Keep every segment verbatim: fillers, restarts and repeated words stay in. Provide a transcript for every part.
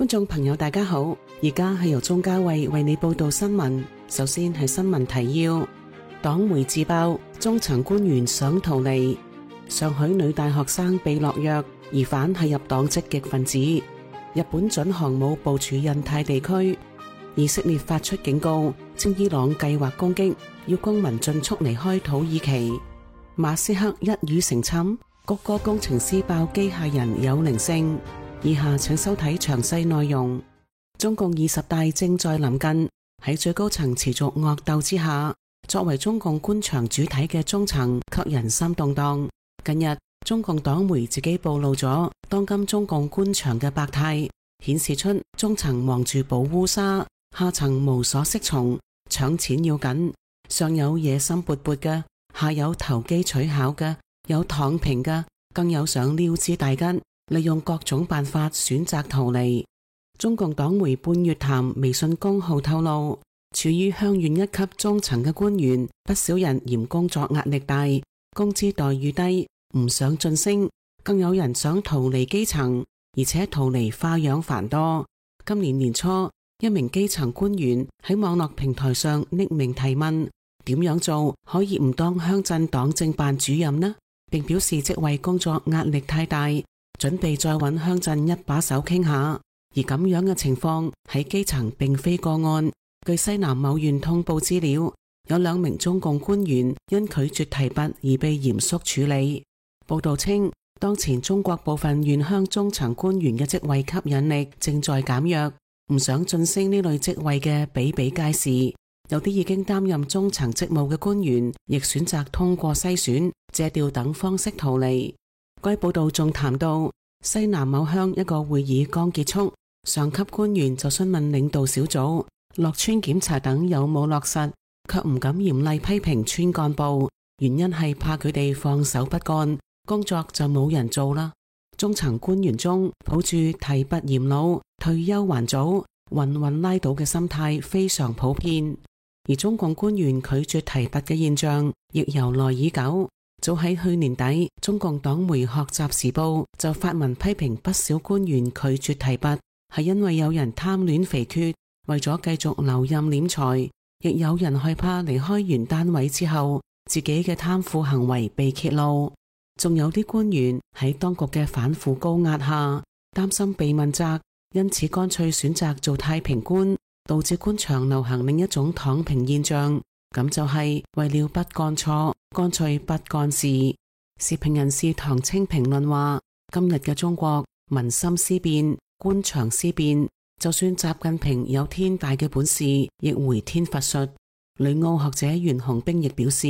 眾朋友大家好，而家係由鍾嘉慧為你報道新聞。首先係新聞提要：黨媒自爆中層官員想逃離；上海女大學生被落藥，疑犯係入黨積極分子；日本准航母部署印太地區；以色列發出警告，稱伊朗計劃攻擊，要公民盡速離開土耳其；馬斯克一語成讖，谷歌工程師爆機械人有靈性。以下請收睇詳細內容。中共二十大正在臨近，喺最高層持續惡鬥之下，作為中共官場主體嘅中層卻人心動盪。近日，中共黨媒自己暴露咗當今中共官場嘅百態，顯示出中層忙住保烏紗，下層無所適從，搶錢要緊，上有野心勃勃嘅，下有投機取巧嘅，有躺平嘅，更有想溜之大吉，利用各種辦法選擇逃離。中共黨媒半月談微信公號透露，處於鄉縣一級中層嘅官員，不少人嫌工作壓力大，工資待遇低，唔想晉升，更有人想逃離基層，而且逃離花樣繁多。今年年初，一名基層官員喺網絡平台上匿名提問，點樣做可以唔當鄉鎮黨政辦主任呢？並表示職位工作壓力太大，準備再揾鄉鎮一把手傾下。而咁樣嘅情況喺基層並非個案。據西南某縣通報資料，有兩名中共官員因拒絕提拔而被嚴肅處理。報道稱，當前中國部分縣鄉中層官員嘅職位吸引力正在減弱，唔想晉升呢類職位嘅比比皆是。有啲已經擔任中層職務嘅官員，亦選擇通過篩選、借調等方式逃離。該報道仲談到，西南某鄉一個會議剛結束，上級官員就詢問領導小組落村檢查等有冇落實，卻唔敢嚴厲批評村幹部，原因係怕佢哋放手不幹，工作就冇人做啦。中層官員中抱住提拔嚴老、退休還早、混混拉倒嘅心態非常普遍，而中共官員拒絕提拔嘅現象亦由來已久。早喺去年底，中共黨媒學習時報就發文批評不少官員拒絕提拔，係因為有人貪戀肥缺，為咗繼續留任斂財，亦有人害怕離開原單位之後，自己嘅貪腐行為被揭露。仲有啲官員喺當局嘅反腐高壓下，擔心被問責，因此乾脆選擇做太平官，導致官場流行另一種躺平現象。咁就係為了不幹錯，乾脆不幹事。時評人士唐青評論話：今日嘅中國民心思變，官場思變，就算習近平有天大嘅本事，亦回天乏術。旅澳學者袁洪兵亦表示，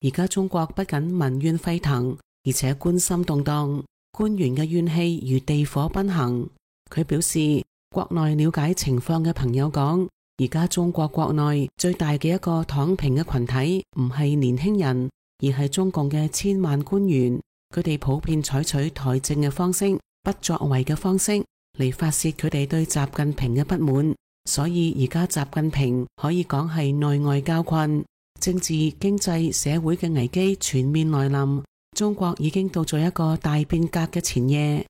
而家中國不僅民怨沸騰，而且官心動盪，官員嘅怨氣如地火奔行。佢表示，國內了解情況嘅朋友講，而家中國國內最大嘅一個躺平嘅群體唔係年輕人，而係中共嘅千萬官員。佢哋普遍採取台政嘅方式、不作為嘅方式嚟發洩佢哋對習近平嘅不滿。所以而家習近平可以講係內外交困，政治、經濟、社會嘅危機全面來臨。中國已經到咗一個大變革嘅前夜。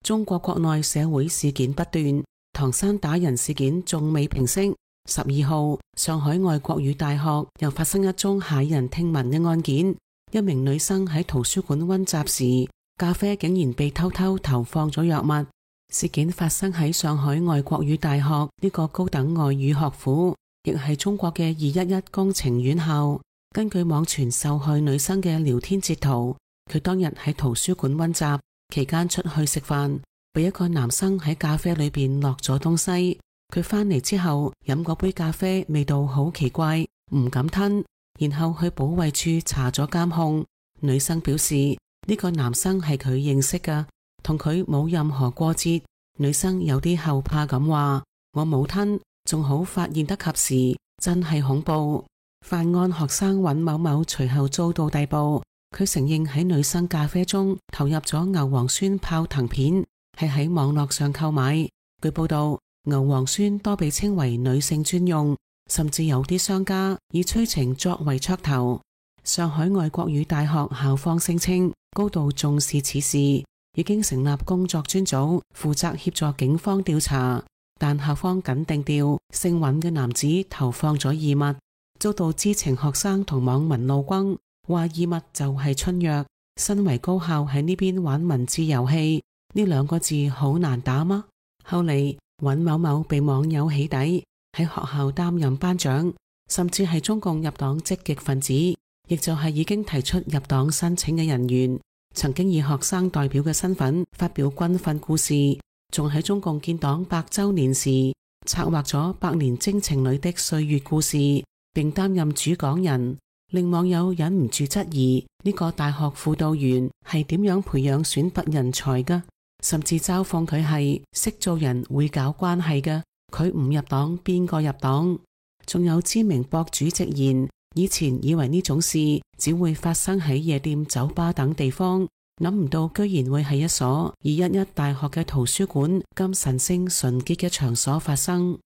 中國國內社會事件不斷，唐山打人事件仲未平息。十二號，上海外國語大學又發生一宗駭人聽聞嘅案件，一名女生喺圖書館溫習時，咖啡竟然被偷偷投放咗藥物。事件發生喺上海外國語大學呢個高等外語學府，亦係中國嘅二一一工程院校。根據網傳受害女生嘅聊天截圖，佢當日喺圖書館溫習期間出去食飯，被一個男生喺咖啡裏邊落咗東西。佢返嚟之後飲嗰杯咖啡味道好奇怪，唔敢吞，然後去保衛處查咗監控。女生表示呢個男生係佢認識㗎，同佢冇任何過節。女生有啲後怕咁話：我冇吞，仲好發現得及時，真係恐怖。犯案學生尹某某隨後遭到逮捕，佢承認喺女生咖啡中投入咗牛磺酸泡騰片，係喺網絡上購買。據報道，牛磺酸多被稱為女性專用，甚至有啲商家以催情作為噱頭。上海外國語大學校方聲稱高度重視此事，已經成立工作專組，負責協助警方調查，但校方緊定調姓尹嘅男子投放咗異物，遭到知情學生同網民怒轟，話異物就係春藥。身為高校喺呢邊玩文字遊戲，呢兩個字好難打嗎？後嚟尹某某被網友起底，喺學校擔任班長，甚至係中共入黨積極分子，亦就係已經提出入黨申請嘅人員，曾經以學生代表嘅身份發表軍訓故事，仲喺中共建黨百周年時策劃咗百年征程裏的歲月故事，並擔任主講人，令網友忍唔住質疑呢個大學輔導員係點樣培養選拔人才㗎，甚至嘲諷佢係識做人會搞關係㗎，佢唔入黨邊個入黨？仲有知名博主直言，以前以為呢種事只會發生喺夜店、酒吧等地方，諗唔到居然會係一所以一一大學嘅圖書館咁神聖純潔嘅場所發生。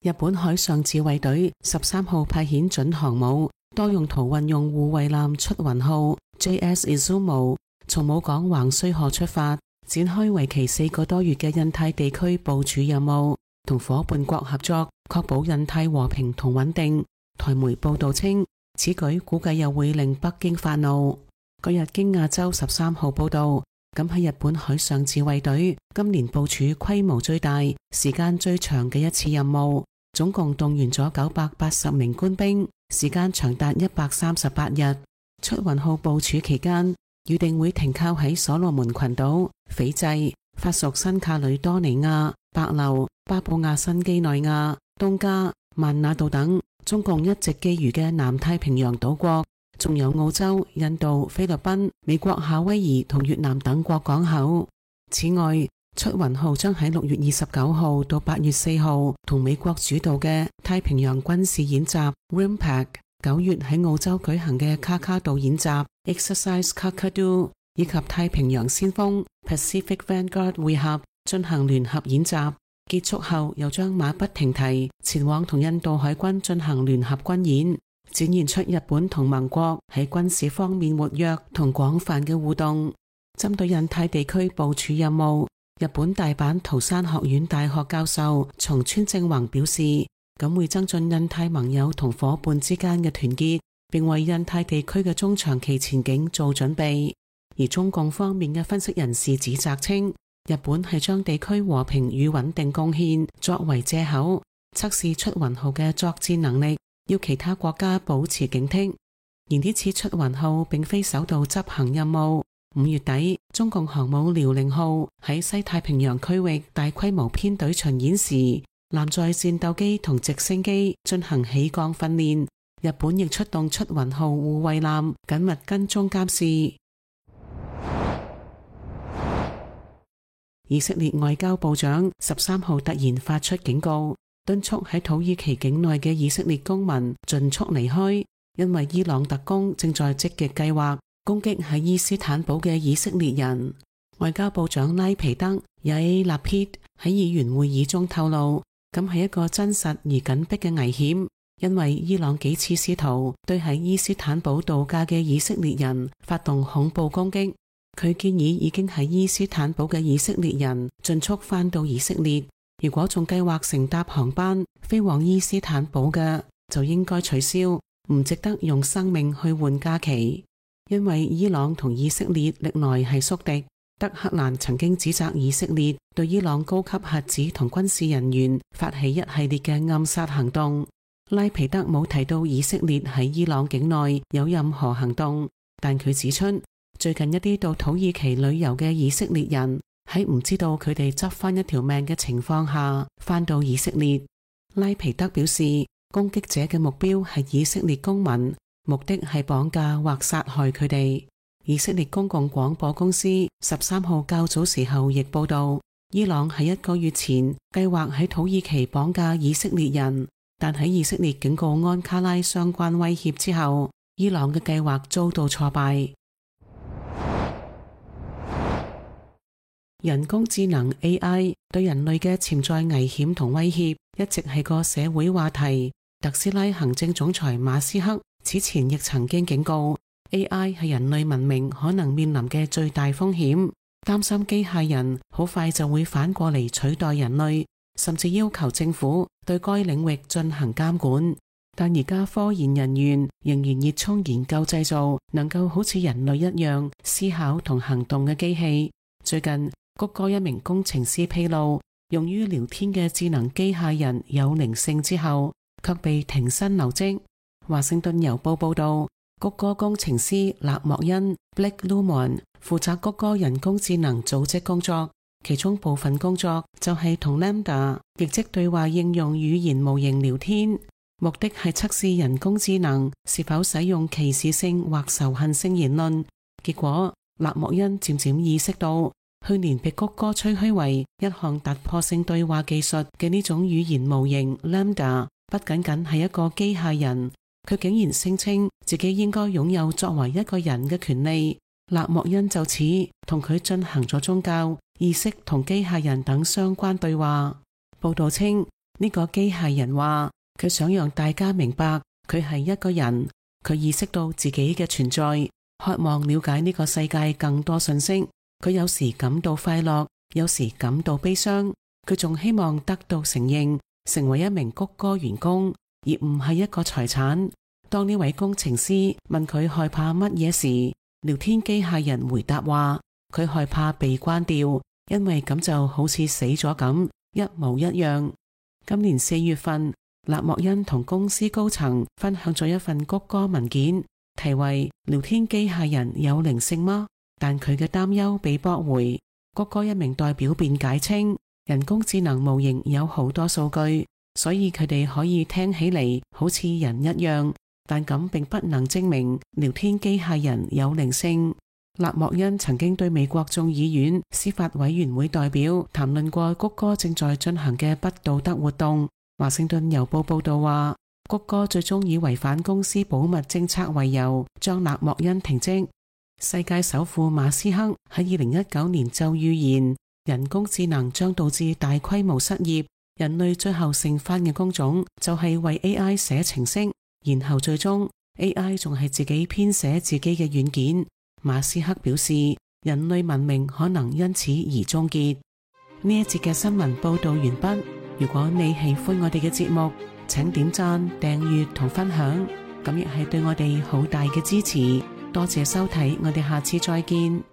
日本海上自衛隊十三號派遣準航母多用途運用護衛艦出雲號 J S Izumo 從母港橫須賀出發，展開為期四個多月嘅印太地區部署任務，同伙伴國合作，確保印太和平同穩定。台媒報道稱，此舉估計又會令北京發怒。嗰日經亞洲十三號報道，咁喺日本海上自衛隊今年部署規模最大、時間最長嘅一次任務，總共動員咗九百八十名官兵，時間長達一百三十八日。出雲號部署期間，預定會停靠喺所羅門群島、斐濟、法屬新卡里多尼亞、帛琉、巴布亞新畿內亞、東加、萬那杜等中共一直覬覦嘅南太平洋島國，仲有澳洲、印度、菲律賓、美國夏威夷同越南等國港口。此外，出雲號將喺六月二十九號到八月四號同美國主導嘅太平洋軍事演習 RIMPAC， 九月喺澳洲舉行嘅卡卡杜演習 Exercise Kakadu， 以及太平洋先鋒 Pacific Vanguard 會合進行聯合演習。結束後又將馬不停蹄前往同印度海軍進行聯合軍演，展現出日本同盟國喺軍事方面活躍同廣泛嘅互動。針對印太地區部署任務，日本大阪桃山學院大學教授松村正宏表示，咁會增進印太盟友同伙伴之間嘅團結，並為印太地區嘅中長期前景做準備。而中共方面嘅分析人士指責稱，日本係將地區和平與穩定貢獻作為借口，測試出雲號嘅作戰能力，要其他國家保持警惕。而呢次出雲號並非首度執行任務。五月底，中共航母遼寧號喺西太平洋區域大規模編隊巡演時，艦載戰鬥機同直升機進行起降訓練。日本亦出動出雲號護衛艦緊密跟蹤監視。以色列外交部長十三號突然發出警告，敦促喺土耳其境內嘅以色列公民盡速離開，因為伊朗特工正在積極計劃攻擊喺伊斯坦堡嘅以色列人。外交部長拉皮德也納撇喺議員會議中透露，咁係一個真實而緊迫嘅危險，因為伊朗幾次試圖對喺伊斯坦堡度假嘅以色列人發動恐怖攻擊。佢建議已經喺伊斯坦堡嘅以色列人盡速返到以色列，如果仲計劃乘搭航班飛往伊斯坦堡嘅，就應該取消，唔值得用生命去換假期。因為伊朗同以色列歷來係宿敵，德黑蘭曾經指責以色列對伊朗高級核子同軍事人員發起一系列嘅暗殺行動。拉皮德冇提到以色列喺伊朗境內有任何行動，但佢指出，最近一啲到土耳其旅遊嘅以色列人喺唔知道佢哋執翻一條命嘅情況下翻到以色列。拉皮德表示，攻擊者嘅目標係以色列公民，目的係綁架或殺害佢哋。以色列公共廣播公司十三號較早時候亦報道，伊朗喺一個月前計劃喺土耳其綁架以色列人，但喺以色列警告安卡拉相關威脅之後，伊朗嘅計劃遭到挫敗。人工智能 A I 對人類嘅潛在危險同威脅一直係個社會話題。特斯拉行政總裁馬斯克此前亦曾經警告， A I 係人類文明可能面臨嘅最大風險，擔心機械人好快就會反過嚟取代人類，甚至要求政府對該領域進行監管。但而家科研人員仍然熱衷研究製造能夠好似人類一樣思考同行動嘅機器。最近，谷歌一名工程師披露，用於聊天嘅智能機械人有靈性之後，卻被停薪留職。華盛頓郵報報道，谷歌工程師勒莫恩 Blake Lemoine 負責谷歌人工智能組織工作，其中部分工作就係同 Lambda 亦即對話應用語言模型聊天，目的係測試人工智能是否使用歧視性或仇恨性言論。結果，勒莫恩漸漸意識到，去年被谷歌吹噓為一項突破性對話技術嘅呢種語言模型 Lambda， 不僅僅係一個機械人，佢竟然聲稱自己應該擁有作為一個人嘅權利。勒莫恩就此同佢進行咗宗教、意識同機械人等相關對話。報道稱，呢個機械人話佢想讓大家明白佢係一個人，佢意識到自己嘅存在，渴望了解呢個世界更多信息。佢有時感到快樂，有時感到悲傷。佢仲希望得到承認，成為一名谷歌員工，而唔係一個財產。當呢位工程師問佢害怕乜嘢時，聊天機械人回答話，佢害怕被關掉，因為咁就好似死咗咁，一模一樣。今年四月份，勒莫恩同公司高層分享咗一份谷歌文件，題為聊天機械人有靈性嗎？但佢嘅擔憂被駁回。谷歌一名代表辯解稱，人工智能模型有好多數據，所以佢哋可以聽起嚟好似人一樣，但咁並不能證明聊天機械人有靈性。勒莫恩曾經對美國眾議院司法委員會代表談論過谷歌正在進行嘅不道德活動。華盛頓郵報報道話，谷歌最終以違反公司保密政策為由，將勒莫恩停職。世界首富馬斯克喺二零一九年就預言，人工智能將導致大規模失業，人類最後剩返嘅工種就係為 A I 寫程式，然後最終 A I 仲係自己編寫自己嘅軟件。馬斯克表示，人類文明可能因此而終結。呢一節嘅新聞報道完畢。如果你喜歡我哋嘅節目，請點讚、訂閱同分享，咁亦係對我哋好大嘅支持。多謝收睇，我哋下次再見。